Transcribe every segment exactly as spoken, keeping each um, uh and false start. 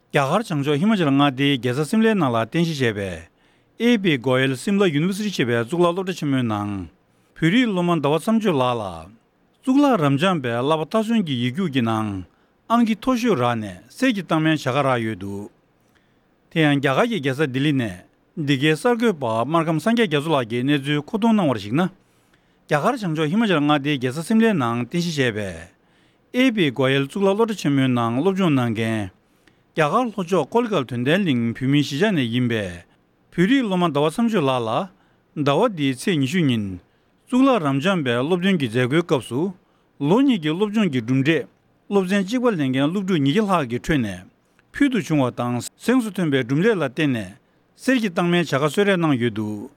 རྒྱ་གར་བྱང་ཕྱོགས་ཧི་མ་ཅལ་མངའ་སྡེའི་རྒྱལ་ས་སིམ་ལའི་ནང་ལ་རྟེན་གཞི་བྱས་པའི་ཨེ་པི་གོ་ཡལ་སིམ་ལ་ཡུ་ནི་ཝར་སི་ཊི་ཞེས་པའི་གཙུག་ལག་སློབ་གྲྭ་ཆེན་མོའི་ནང་། བོད་རིགས་སློབ་མ་ཟླ་བ་མཚམས་གཅོད་ལགས་ལ། གཙུག་ལག་རབ་འབྱམས་པའི་བསླབ་པ་མཐའ་སོན་གྱི་ཡིག་རྒྱུགས་ཀྱི་ནང་། ཨང་ཀི་མཐོ་ཤོས་རག་ནས་གསེར་གྱི་རྟགས་མའི་བྱ་དགའ་རག་ཡོད་འདུག་དེ་ཡང་རྒྱ་གར་གྱི་རྒྱལ་ས་ལྡི་ལི་ནས་འདི་གའི་གསར་འགོད་པ་སྨར་ཁམས་སངས་རྒྱས་རྒྱ་མཚོ་ལགས་ཀྱིས་གནས་ཚུལ་མཁོ་གཏོང་གནང་བར་གཞིགས་ན། རྒྱ་གར་བྱང་ཕྱོགས་ཧི་མ་ཅལ་མངའ་སྡེའི་རྒྱལ་ས་སིམ་ལའི་ནང་རྟེན་གཞི་བྱས་པའི་ཨེ་པི་གོ་ཡལ་གཙུག་ལག་སློབ་གྲྭ་ཆེན་མོའི་ནང་སློབ་སྦྱོང་གནང་མཁན་རྒྱ་གར་ལྷོ་ཕྱོགས་ཀོ་ལི་གྷལ་དོན་ལྡན་གླིང་བོད་མིའི་གཞིས་ཆགས་ནས་ཡིན་པའི་བོད་རིགས་སློབ་མ་ཟླ་བ་མཚམས་གཅོད་ལགས་ལ། ཟླ་བ་འདིའི་ཚེས་ཉི་ཤུ་ཉིན། གཙུག་ལག་རབ་འབྱམས་པའི་སློབ་ཐོན་གྱི་མཛད་སྒོའི་སྐབས་སུ། ལོ་གཉིས་ཀྱི་སློབ་སྦྱོང་གི་གྲུབ་འབྲས། སློབ་ཚན་གཅིག་པ་ལེན་མཁན་སློབ་ཕྲུག་ཉིས་བརྒྱ་ལྷག་གི་ཁྲོད་ནས། ཕུལ་དུ་བྱུང་བ་དང་གཟེངས་སུ་ཐོན་པའི་གྲུབ་འབྲས་ལ་བརྟེན་ནས། གསེར་གྱི་རྟགས་མའི་བྱ་དགའ་གསོལ་རས་གནང་ཡོད་འདུག་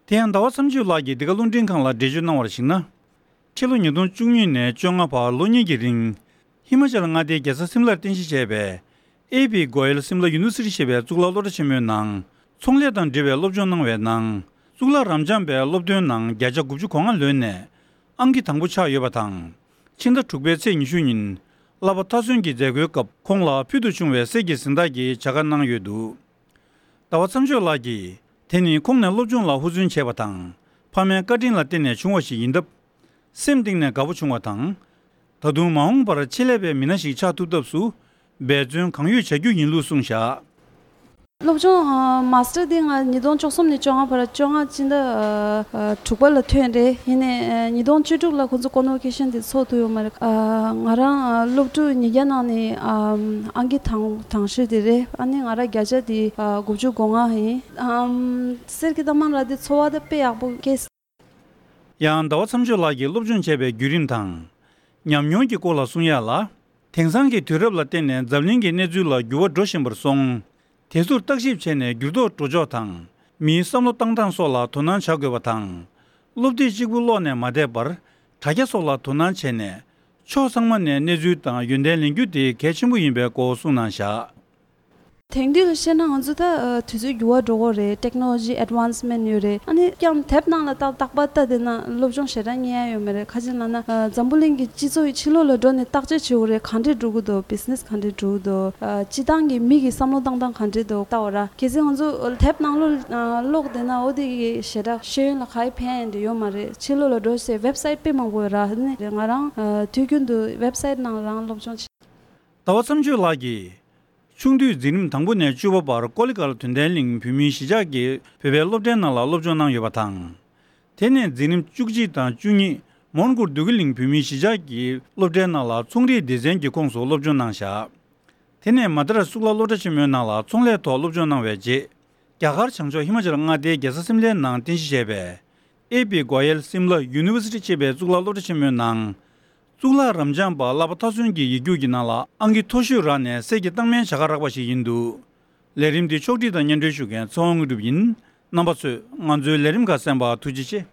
དེ་ཡང་ཟླ་བ་མཚམས་གཅོད་ལགས་ཀྱིས་འདི་ག་རླུང་འཕྲིན་ཁང་ལ་འགྲེལ་བརྗོད་གནང་བར་གཞིགས་ན། ཕྱི་ལོ་ཉིས་སྟོང་བཅུ་གཉིས་ནས་བཅོ་ལྔ་བར་ལོ་གཉིས་ཀྱི་རིང་། ཧི་མ་ཅལ་མངའ་སྡེའི་རྒྱལ་ས་སིམ་ལར་རྟེན་གཞི་བྱས་པའི་ཨེ་པི་གོ་ཡལ་སིམ་ལ་ཡུ་ནི་ཝར་སི་ཊི་ཞེས་པའི་གཙུག་ལག་སློབ་གྲྭ་ཆེན་མོའི་ནང་ཚོང་ལས་དང་འབྲེལ་བའི་སློབ་སྦྱོང་གནང་བའི་ནང་། གཙུག་ལག་རབ་འབྱམས་པའི་སློབ་ཐོན་ནང་བརྒྱ་ཆ་དགུ་བཅུ་གོ་ལྔ་ལོན་ནས་ཨང་ཀི་དང་པོ་ཆགས་ཡོད་པ་དང་། ཕྱི་ཟླ་དྲུག་པའི་ཚེས་ཉི་ཤུ་ཉིན། བསླབ་པ་མཐའ་སོན་གྱི་མཛད་སྒོའི་སྐབས་ཁོང་ལ་ཕུལ་དུ་བྱུང་བའི་གསེར་གྱི་གཟེངས་རྟགས་ཀྱི་བྱ་དགའ་གནང་ཡོད་འདུག་ཟླ་བ་མཚམས་གཅོད་ལགས་ཀྱིས། དེ་ནི་ཁོང་ནས་སློབ་སྦྱོང་ལ་ཧུར་བརྩོན་བྱས་པ་དང་། ཕ་མའི་བཀའ་དྲིན་ལ་བརྟེན་ནས་བྱུང་བ་ཞིག་ཡིན་སྟབས། སེམས་གཏིང་ནས་དགའ་པོ་བྱུང་བ་དང་། ད་དུང་མ་འོངས་པར་ཆེད་ལས་པའི་མི་སྣ་ཞིག་ཆགས་ཐུབ་ཐབས་སུ། འབད་བརྩོན་གང་ཡོད་བྱ་རྒྱུ་ཡིན་ལུགས་གསུངས་བཞག་སློབ་སྦྱོང་མ་སི་ཊར་འདི་ང་ཉིས་སྟོང་བཅུ་གསུམ་ནས་བཅོ་ལྔ་བར་བཅོ་ལྔ་སྤྱི་ཟླ་དྲུག་པ་ལ་ཐོན་རེད། ཡིན་ནའི་ཉིས་སྟོང་བཅུ་དྲུག་ལ་ཁོང་ཚོ་ཀོན་ཝོ་ཀེ་ཤན་དེ་ཚོགས་ཐུབ་ཡོད་མ་རེད། ང་རང་སློབ་ཕྲུག་ཉིས་བརྒྱ་ནང་ནས་ཨང་ཀི་དང་དང་ཤོས་དེ་རེད། ཨ་ནི་ང་རང་བརྒྱ་ཆ་དེ་དགུ་བཅུ་གོ་ལྔ་ཡིན། གསེར་གྱི་རྟགས་མ་རག་དེ་ཚོར་བ་དེ་དཔེ་ཡག་པོ་སྐྱེས། ཡང་ཟླ་བ་མཚམས་གཅོད་ལགས་ཀྱིས་སློབ་སྦྱོང་བྱས་པའི་བརྒྱུད་རིམ་དང་། ཉམས་མྱོང་གི་སྐོར་ལ་གསུང་ཡ་ལ། དེང་སང་གི་དུས་རབས་ལ་བརྟེན་ནས་འཛམ་གླིང་གི་གནས་ཚུལ་ལ་འགྱུར་བ་འགྲོ་བཞིན་པར་སོང་། དེ་ཚོར་བརྟག་ཞིབ་བྱས་ནས་འགྱུར་ལྡོག་འགྲོ་ཕྱོགས་དང་། མིའི་བསམ་བློ་བཏང་སྟངས་སོགས་ལ་དོ་སྣང་བྱ་དགོས་པ་དང་། སློབ་དེབ་གཅིག་པུ་ཀློག་ནས་མ་བསྡད་པར། དྲ་རྒྱ་སོགས་ལ་དོ་སྣང་བྱས་ནས། ཕྱོགས་ཚང་མ་ནས་གནས་ཚུལ་དང་ཡོན་ཏན་ལེན་རྒྱུ་དེ་གལ་ཆེན་པོ་ཡིན་པའི་སྐོར་གསུངས་གནང་བཞག་དེང་དུས་ལ་བཤད་ན་ང་ཚོ་ད་དུས་ཚོད་འགྱུར་བ་འགྲོ་གི་རེད། ཊེག་ནོ་ལོ་ཇི་ཨེཌ་ཝན་སི་མེན་ཊི་ཡོད་རེད། ཨ་ནི་ཀྱང་དེབ་ནང་ལ་ཏག་ཏག་པ་ལྟ་བསྡད་ན་སློབ་སྦྱོང་ཞེ་དྲག་རྙེད་ཡ་ཡོད་མ་རེད། ཁ་ཅིག་ལབ་ན་འཛམ་བུ་གླིང་གི་སྤྱི་ཚོགས་ཕྱི་ལོགས་ལ་འགྲོ་ནས་བརྟག་དཔྱད་བྱེད་དགོས་རེད། གང་འདྲས་འགྲོ་གི་འདུག་བི་ཛི་ནེ་སི་གང་འདྲས་འགྲོ་གི་འདུག་སྤྱི་བཏང་གི་མི་གི་བསམ་བློ་བཏང་སྟངས་གང་འདྲས་འདུག་ལྟ་བ་ར། གལ་སྲིད་ང་ཚོ་དེབ་ནང་ལོགས་ཀློག་བསྡད་ན་འོ་དེ་གི་ཞེ་དྲག་ཤེས་ཡོན་ལ་ག་ཡི་ཕན་ཡ་འདྲ་ཡོད་མ་རེད། ཕྱི་ལོགས་ལ་འགྲོ་སའི་ཝེབ་སའིཊ་དཔེ་མང་པོ་ཡོད་ར། ཨ་ནི་ང་རང་དུས་རྒྱུན་དུ་ཝེབ་སའིཊ་ནང་རང་སློབ་སྦྱོང་བྱེད། ཟླ་བ་མཚམས་གཅོད་ལགས་ཀྱིས། ཆུང་དུས་འཛིན་རིམ་དང་པོ་ནས་བཅུ་པ་བར་ཀོ་ལི་གྷལ་དོན་ལྡན་གླིང་བོད་མིའི་གཞིས་ཆགས་ཀྱི་བོད་པའི་སློབ་གྲྭའི་ནང་ལ་སློབ་སྦྱོང་གནང་ཡོད་པ་དང་། དེ་ནས་འཛིན་རིམ་བཅུ་གཅིག་དང་བཅུ་གཉིས་མོན་གྷོ་བདུད་ཀྱི་གླིང་བོད་མིའི་གཞིས་ཆགས་ཀྱི་སློབ་གྲྭའི་ནང་ལ་ཚོང་རིག་སྡེ་ཚན་གྱི་ཁོངས་སུ་སློབ་སྦྱོང་གནང་བཞག་དེ་ནས་མ་དྲ་གཙུག་ལག་སློབ་གྲྭ་ཆེན་མོའི་ནང་ལ་ཚོང་ལས་ཐོག་སློབ་སྦྱོང་གནང་བའི་རྗེས། རྒྱ་གར་བྱང་ཕྱོགས་ཧི་མ་ཅལ་མངའ་སྡེའི་རྒྱལ་ས་སིམ་ལའི་ནང་རྟེན་གཞི་བྱས་པའི་ཨེ་པི་གོ་ཡལ་སིམ་ལ་ཡུ་ནི་ཝར་སི་ཊི་ཅེས་པའི་གཙུག་ལག་སློབ་གྲྭ་ཆེན་མོའི་ནང་། གཙུག་ལག་རབ་འབྱམས་པ་བསླབ་པ་མཐའ་སོན་གྱི་ཡིག་རྒྱུགས་ཀྱི་ནང་ལ་ཨང་ཀི་མཐོ་ཤོས་རག་ནས་གསེར་གྱི་རྟགས་མའི་བྱ་དགའ་རག་པ་ཞིག་ཡིན་འདུག་ལས་རིམ་འདི་ཕྱོགས་སྒྲིག་དང་སྙན་སྒྲོན་ཞུ་མཁན་ཚེ་དབང་དངོས་གྲུབ་ཡིན། རྣམ་པ་ཚོས་ང་ཚོའི་ལས་རིམ་ཁག་གསན་པར་ཐུགས་རྗེ་ཆེ།